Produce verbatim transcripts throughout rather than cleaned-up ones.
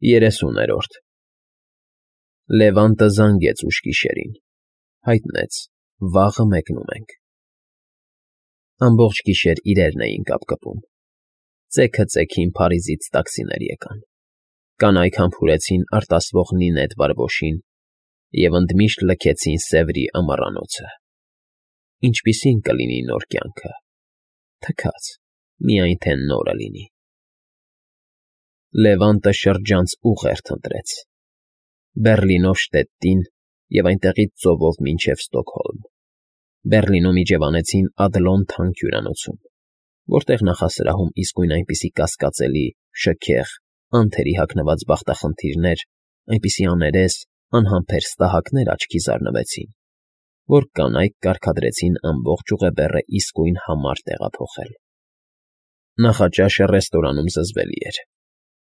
Երեսուներորդ Լևանտը զանգեց ուշ գիշերին, հայտնեց. վաղը մեկնում ենք։ Ամբողջ գիշեր իրերն էին կապկպում, ծեքը ծեքին Փարիզից տաքսիներ եկան, կանայք համբուրեցին արտասվող նինետ բարբոշին և ընդմիշտ լքեցին Սևրի ամառանոցը։ Ինչպիսի՞ն կլինի նոր կյանքը, թքած, միայն թե նորը լինի։ Լևանտը շրջանց ուղերձ ընտրեց. Բեռլինով Շտետտին և այնտեղից ծովով մինչև Ստոկհոլմ։ Բեռլինում իջևանեցին Ադլոն թանկ հյուրանոցում, որտեղ նախասրահում իսկույն այնպիսի կասկածելի, շքեղ, անթերի հագնված բախտախնդիրներ, այնպիսի աներես, անհամբեր ստահակներ աչքի զարնվեցին, որ կանայք կարգադրեցին ամբողջ ուղեբեռը իսկույն համար տեղափոխել։ Նախաճաշը ռեստորանում զզվելի էր,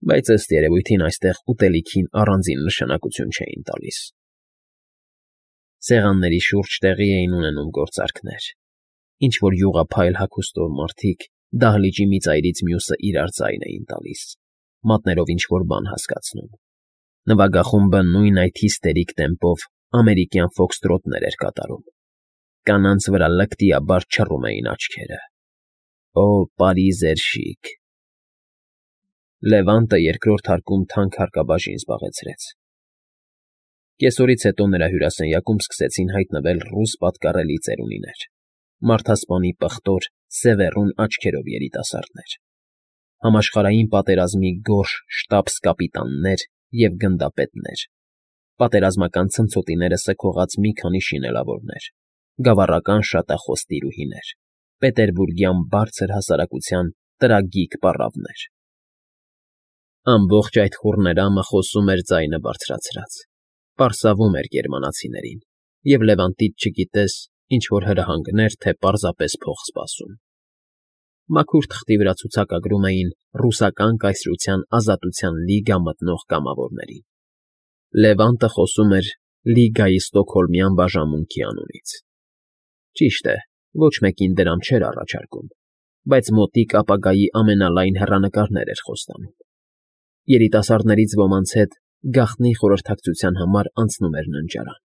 բայց ըստ երևույթին այստեղ ուտելիքին առանձին նշանակություն չէին տալիս։ Սեղանների շուրջ տեղի էին ունենում գործարքներ, ինչ֊որ յուղափայլ հագուստով մարդիկ դահլիճի մի ծայրից մյուսը իրար ձայն էին տալիս, մատներով ինչ֊որ բան հասկացնում։ Նվագախումբը նույն այդ հիստերիկ տեմպով ամերիկյան ֆոքստրոտներ էր կատարում։ Կանանց վրա լկտիաբար չռում էին աչքերը։ Օ, Պարիզ էր շիկ։ Լևանտը երկրորդ հարկում թանկ հարկաբաժին զբաղեցրեց։ Կեսօրից հետո նրա հյուրասենյակում սկսեցին հայտնվել ռուս պատկառելի ծերունիներ, մարդասպանի պղտոր, սևեռուն աչքերով երիտասարդներ, համաշխարհային պատերազմի գորշ շտաբս֊կապիտաններ և գնդապետներ, պատերազմական ցնցոտիները սգողած մի քանի շինելավորներ, գավառական շատախոս տիրուհիներ, պետերբուրգյան բարձր հասարակության տրագիկ պառավներ։ Ամբողջ այդ խուռներամը խոսում էր ձայնը բարձրացրած, պարսավում էր գերմանացիներին, և Լևանտից չգիտես, ինչ֊որ հրահանգներ, թե պարզապես փող սպասում։ Մաքուր թղթի վրա ցուցակագրում էին ռուսական կայսրության Ազատության լիգա մտնող կամավորներին։ Լևանտը խոսում էր Լիգայի ստոկհոլմյան բաժանմունքի անունից։ Ճիշտ է, ոչ մեկին դրամ չէր առաջարկում, բայց մոտիկ ապագայի ամենալայն հեռանկարներ էր խոստանում։ Երիտասարդներից ոմանց հետ գաղտնի խորհրդակցության համար անցնում էր ննջարան։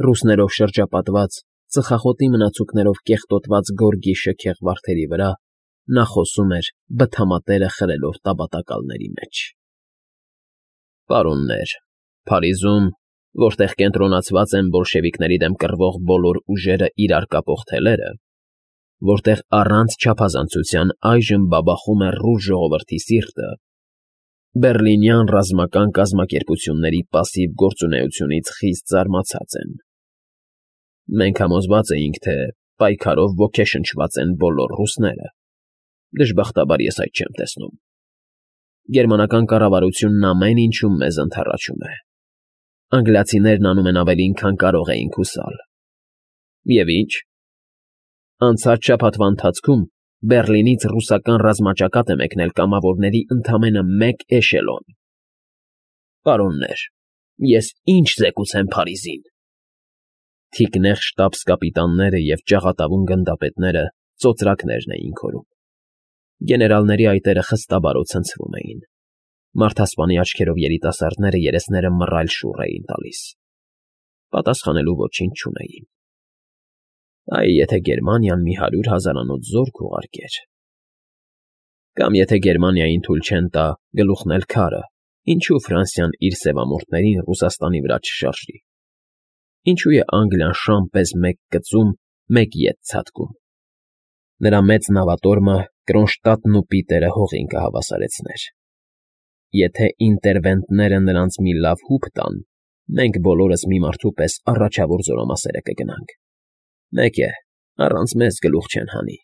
Ռուսներով շրջապատված, ծխախոտի մնացուկներով կեղտոտված գորգի շքեղ վարդերի վրա նա խոսում էր բթամատերը խրելով տաբատակալների մեջ։ Պարոններ, Փարիզում, որտեղ կենտրոնացված են բոլշևիկների դեմ կռվող բոլոր ուժերը իրար կապող թելերը, որտեղ առանց չափազանցության այժմ բաբախում է ռուս ժողովրդի սիրտը, բեռլինյան ռազմական կազմակերպությունների պասիվ գործունեությունից խիստ զարմացած են։ Մենք համոզված էինք, թե պայքարով ոգեշնչված են բոլոր ռուսները, դժբախտաբար ես այդ չեմ տեսնում։ Գերմանական կառավարությունն ամեն ինչում մեզ ընդառաջում է։ Անգլիացիներն անում են ավելին, քան կարող էինք հուսալ։ Եվ ինչ։ Անցած շաբաթվա ընթացքում Բեռլինից ռուսական ռազմաճակատ է մեկնել կամավորների ընդամենը մեկ էշելոն։ Պարոններ, ես ինչ զեկուցեմ Փարիզին։ Թիկնեղ շտաբս֊կապիտանները և ճաղատավուն գնդապետները ծոծրակներն էին քորում։ Գեներալների այտերը խստաբարով ցնցվում էին։ Մարդասպանի աչքերով երիտասարդները երեսները մռայլ շուռ էին տալիս։ Պատասխանելու ոչինչ չունեին։ Այ եթե Գերմանիան մի հարյուր հազարանոց զորք ուղարկեր… Կամ եթե Գերմանիային թույլ չեն տա գլուխնել քարը, ինչու Ֆրանսիան իր սևամորթներին Ռուսաստանի վրա չշարժի։ Ինչու է Անգլիան շան պես մեկ կծում, մեկ ետ ցատկում։ Նրա մեծ նավատորմը Կրոնշտադտն ու Պիտերը հողին կհավասարեցներ։ Եթե ինտերվենտները նրանց մի լավ հուպ տան, մենք բոլորս մի մարդու պես առաջավոր զորամասերը կգնանք։ Մեկ է, առանց մեզ գլուխ չեն հանի։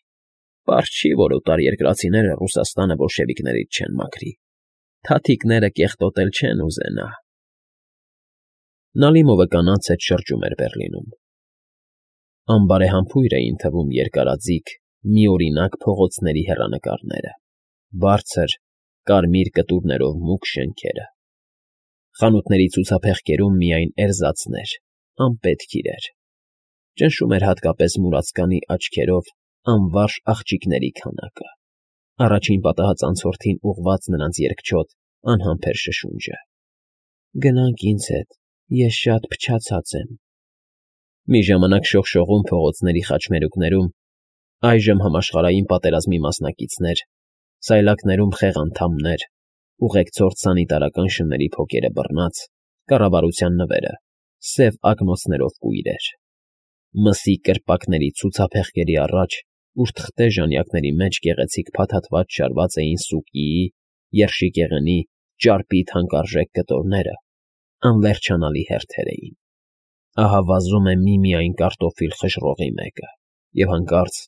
Պարզ չի, որ օտարերկրացիները Ռուսաստանը բոլշևիկներից չեն մաքրի։ Թաթիկները կեղտոտել չեն ուզենա։ Նալիմովը կանանց հետ շրջում էր Բեռլինում։ Անբարեհամբույր էին թվում երկարաձիգ, միօրինակ փողոցների հեռանկարները, բարձր, կարմիր կտուրներով մուգ շենքերը։ Խանութների ցուցափեղկերում միայն էրզածներ, անպետք իրեր։ Ճնշում էր հատկապես մուրացկանի աչքերով անվարժ աղջիկների քանակը, առաջին պատահած անցորդին ուղղված նրանց երկչոտ, անհամբեր շշունջը։ Գնանք ինձ հետ, ես շատ փչացած եմ։ Մի ժամանակ շողշողուն փողոցների խաչմերուկներում, այժմ համաշխարհային պատերազմի մասնակիցներ, սայլակներում խեղանդամներ, ուղեկցորդ սանիտարական շների փոկերը բռնած, կառավարության նվերը, սև ակնոցներով կույրեր։ Մսի կրպակների ցուցափեղկերի առաջ, ուր թղթե ժանյակների մեջ գեղեցիկ փաթաթված շարված էին սուկիի, երշիկեղենի, ճարպի թանկարժեք կտորները, անվերջանալի հերթեր էին։ Ահա վազում է միմիայն կարտոֆիլ խժռողի մեկը, և հանկարծ,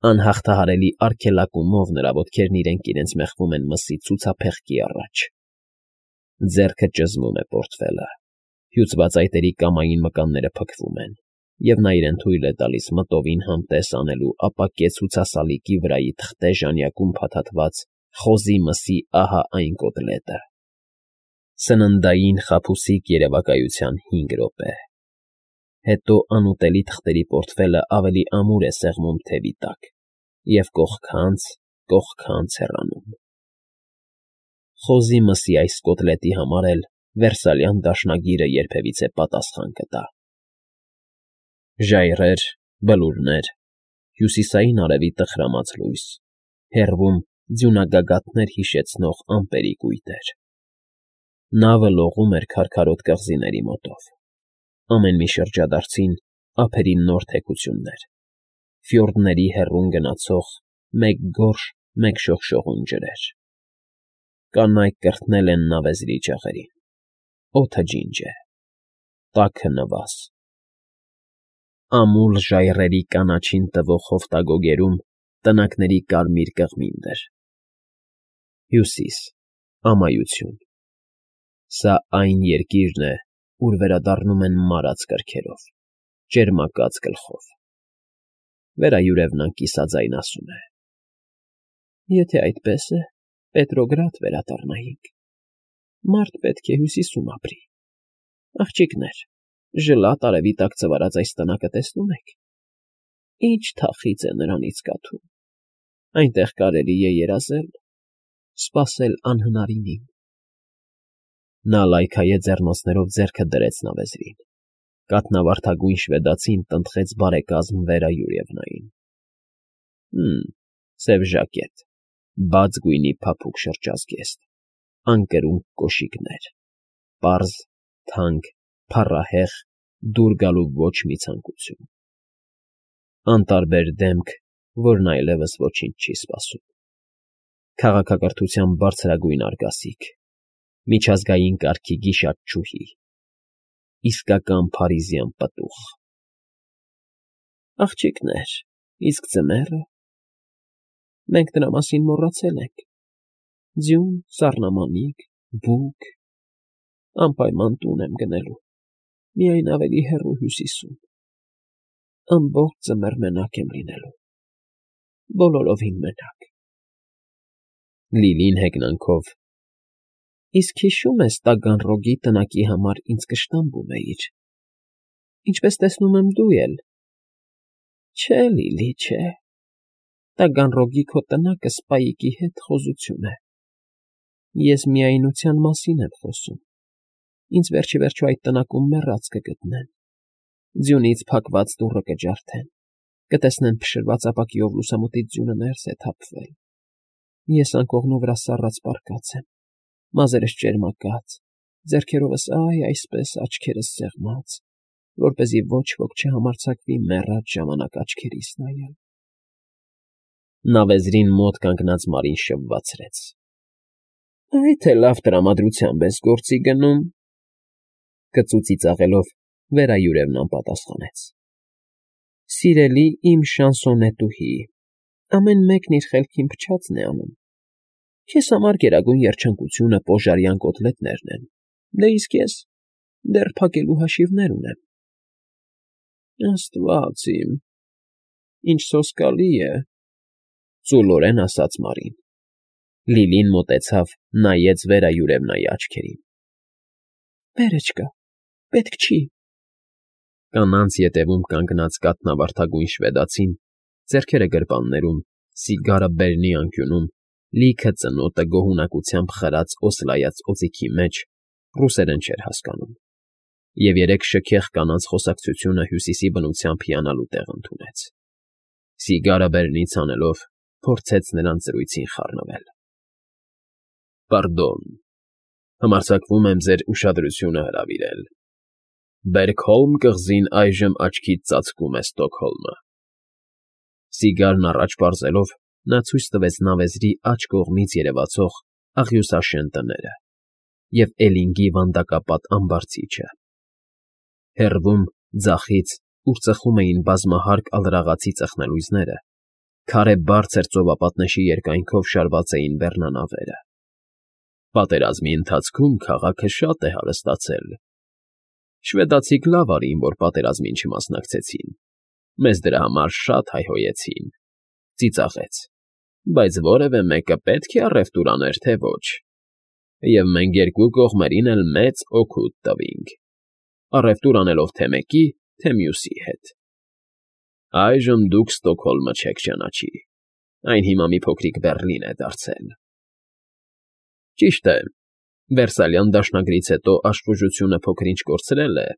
անհաղթահարելի արգելակումով նրա ոտքերն իրենք իրենց մեխվում են մսի ցուցափեղկի առաջ։ Ձեռքը ճզմում է պորտֆելը, հյուծված այտերի կամային մկանները փքվում են, և նա իրեն թույլ է տալիս մտովին համտես անելու ապակե ցուցասալիկի վրայի թղթե ժանյակում փաթաթված խոզի մսի ահա այն կոտլետը։ Սննդային խաբուսիկ երևակայության հինգ րոպե։ Հետո անուտելի թղթերի պորտֆելը ավելի ամուր է սեղմում թևի տակ և կողքանց, կողքանց հեռանում։ Խոզի մսի այս կոտլետի համար էլ Վերսալյան դաշնագիրը երբևիցե պատասխան կտա։ Ժայռեր, բլուրներ, հյուսիսային արևի տխրամած լույս, հեռվում ձյունագագաթներ հիշեցնող ամպերի կույտեր։ Նավը լողում էր քարքարոտ կղզիների մոտով։ Ամեն մի շրջադարձին ափերի նոր թեքություններ, ֆյորդների հեռուն գնացող մեկ գորշ, մեկ շողշողուն ջրեր։ Կանայք կրթնել են նավեզրի ջաղերին, օդը ջինջ է, տաքը նվազ։ Ամուլ ժայռերի կանաչին տվող հովտագոգերում տնակների կարմիր կղմինդր։ Հյուսիս, ամայություն։ Սա այն երկիրն է, ուր վերադառնում են մարած կրքերով, ճերմակած գլխով։ Վերայուրևնան կիսաձայն ասում է. Եթե այդպես է, Պետրոգրադ վերադառնայինք։ Մարդ պետք է հյուսիսում ապրի։ Աղջիկներ, ժլատ արևի տակ ծվարած այս տնակը տեսնում եք։ Ինչ թախիծ է նրանից կաթում։ Այնտեղ կարելի է երազել, սպասել անհնարինին։ Նա լայքայե ձեռնոցներով ձեռքը դրեց նավեզրին։ Կաթնավարդագույն շվեդացին տնտղեց բարեկազմ Վերայուրևնային։ Հըմ, սև ժակետ, բաց գույնի փափուկ շրջազգեստ, անկրուն կոշիկներ, պարզ, թանկ, փառահեղ, դուր գալու ոչ մի ցանկություն։ Անտարբեր դեմք, որն այլևս ոչինչ չի սպասում։ Քաղաքակրթության բարձրագույն արգասիկ, միջազգային կարգի գիշատչուհի, իսկական փարիզյան պտուղ։ Աղջիկներ, իսկ ձմեռը։ Մենք դրա մասին մոռացել ենք։ Ձյուն, սառնամանիք, բուք, անպայման տուն եմ գնելու, միայն ավելի հեռու հյուսիսում։ Ամբողջ ձմեռ մենակ եմ լինելու, բոլորովին մենակ։ Լիլին հեգնանքով. Իսկ հիշո՞ւմ ես Տագանրոգի տնակի համար ինձ կշտամբում էիր, ինչպես տեսնում եմ դու էլ։ Չէ, Լիլի, չէ, Տագանրոգի քո տնակը Սպայիկի հետ խոզություն է։ Ես միայնության մասին եմ խոսում, ինձ վերջիվերջո այդ տնակում մեռած կգտնեն, ձյունից փակված դուռը կջարդեն, կտեսնեն փշրված ապակիով լուսամուտից ձյունը ներս է թափվել։ Ես անկողնու վրա սառած պառկած եմ, մազերս ճերմակած, ձեռքերովս այ այսպես աչքերս սեղմած, որպեսզի ոչ ոք չհամարձակվի մեռած ժամանակ աչքերիս նայել։ Նավեզրին մոտ կանգնած Մարին շվվացրեց. Այ թե լավ տրամադրությամբ ես գործի գնում։ Կծու ծիծաղելով Վերայուրևնան պատասխանեց. Սիրելի իմ շանսոնետուհի, ամեն մեկն իր խելքին փչացն է անում։ Քեզ համար գերագույն երջանկությունը պոժարյան կոտլետներն են, դե իսկ ես դեռ փակելու հաշիվներ ունեմ։ Աստված իմ, ինչ սոսկալի է, ծուլորեն ասաց Մարին։ Լիլին մոտեցավ, նայեց Վերայուրևնայի աչքերին։ Վերը չկա, պետք չի։ Կանանց ետևում կանգնած կաթնավարդագույն շվեդացին, ձեռքերը գրպաններում, սիգարը բերնի անկյունում, Լիքը ծնոտը գոհունակությամբ խրած օսլայած օձիքի մեջ ռուսերեն չէր հասկանում, և երեք շքեղ կանանց խոսակցությունը Հյուսիսի բնությամբ հիանալու տեղ ընդունեց. սիգարը բերնից հանելով փորձեց նրանց զրույցին խառնվել։ ֊ Պարդոն, համարձակվում եմ ձեր ուշադրությունը հրավիրել. Բերքհոլմ կղզին այժմ աչքից ծածկում է Ստոկհոլմը։ Սիգարն առաջ պարզելով նա ցույց տվեց նավեզրի աջ կողմից երևացող աղյուսաշեն տները և էլինգի վանդակապատ ամբարձիչը։ Հեռվում, ձախից, ուր ծխում էին բազմահարկ ալրաղացի ծխնելույզները, քարե բարձր ծովապատնեշի երկայնքով շարված էին բեռնանավերը։ Պատերազմի ընթացքում քաղաքը շատ է հարստացել։ Շվեդացիք լավ արին, որ պատերազմին չմասնակցեցին, մեզ դրա համար շատ հայհոյեցին, ծիծաղեց, բայց որևէ մեկը պետք է առևտուր աներ, թե ոչ, և մենք երկու կողմերին էլ մեծ օգուտ տվինք, առևտուր անելով թե մեկի, թե մյուսի հետ։ Այժմ դուք Ստոկհոլմը չեք ճանաչի, այն հիմա մի փոքրիկ Բեռլին է դարձել։ Ճիշտ է, Վերսալյան դաշնագրից հետո աշխուժությունը փոքր֊ինչ կորցրել է,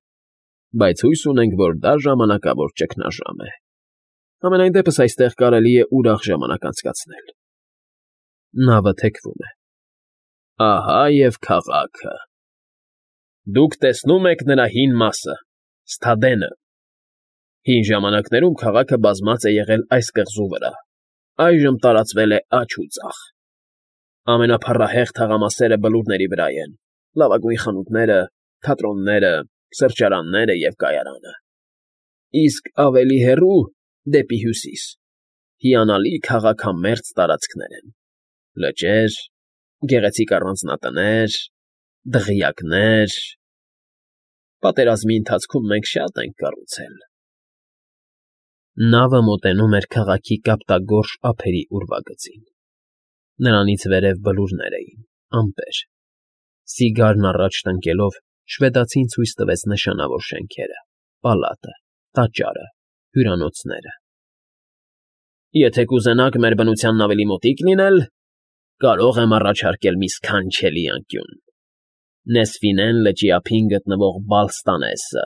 բայց հույս ունենք, որ դա ժամանակավոր ճգնաժամ է։ Համենայն դեպս այստեղ կարելի է ուրախ ժամանակ անցկացնել։ Նավը թեքվում է։ Ահա և քաղաքը։ Դուք տեսնում եք նրա հին մասը՝ Սթադենը։ Հին ժամանակներում քաղաքը բազմած է եղել այս կղզու վրա, այժմ տարածվել է աջ ու ձախ։ Ամենափառահեղ թաղամասերը բլուրների վրա են, լավագույն խանութները, թատրոնները, սրճարանները և կայարանը։ Իսկ ավելի հեռու, դեպի հյուսիս, հիանալի քաղաքամերձ տարածքներ են, լճեր, գեղեցիկ առանձնատներ, դղյակներ… Պատերազմի ընթացքում մենք շատ ենք կառուցել։ Նավը մոտենում էր քաղաքի կապտագորշ ափերի ուրվագծին։ Նրանից վերև բլուրներ էին, ամպեր։ Սիգարն առաջ տնկելով շվեդացին ցույց տվեց նշանավոր շենքերը՝ պալատը, տաճարը, հյուրանոցները։ Եթե կուզենաք մեր բնությանն ավելի մոտիկ լինել, կարող եմ առաջարկել մի սքանչելի անկյուն. Նեսֆինեն լճի ափին գտնվող Բալստանեսը,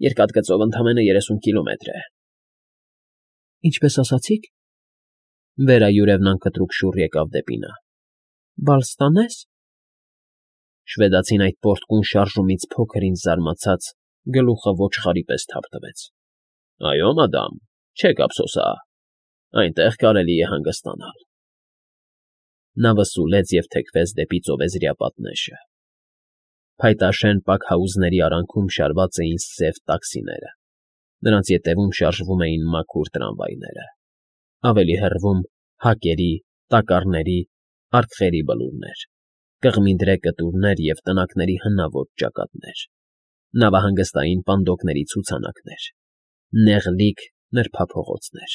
երկաթգծով ընդամենը երեսուն կիլոմետր է։ Ինչպես ասացիք։ Վերայուրևն անկտրուկ շուռ եկավ դեպի նա։ Բալստանե՞ս։ Շվեդացին այդ պոռթկուն շարժումից փոքր ինչ զարմացած գլուխը ոչխարի պես թափ տվեց։ Այո, մադամ, չեք ափսոսա, այնտեղ կարելի է հանգստանալ։ Նավը սուլեց և թեքվեց դեպի ծովեզրյա պատնեշը։ Փայտաշեն պակհաուզների արանքում շարված էին սև տաքսիները, նրանց ետևում շարժվում էին մաքուր տրամվայները, ավելի հեռվում՝ հակերի, տակառների, արկղերի բլուրներ, կղմինդրե կտուրներ և տնակների հնաոճ ճակատներ, նավահանգստային պանդոկների ցուցանակներ, նեղլիկ նրբափողոցներ։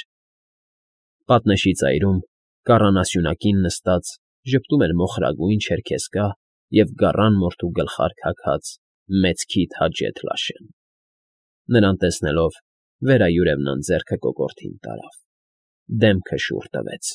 Պատնեշի ծայրում, կառանասյունակին նստած, ժպտում էր մոխրագույն չերքեզկա և գառան մորթու գլխարկ հագած մեծ քիթ Հաջեթ Լաշեն։ Նրան տեսնելով՝ վերայուրևն անձեռքը կոկորդին տարավ, դեմքը շուռ տվեց։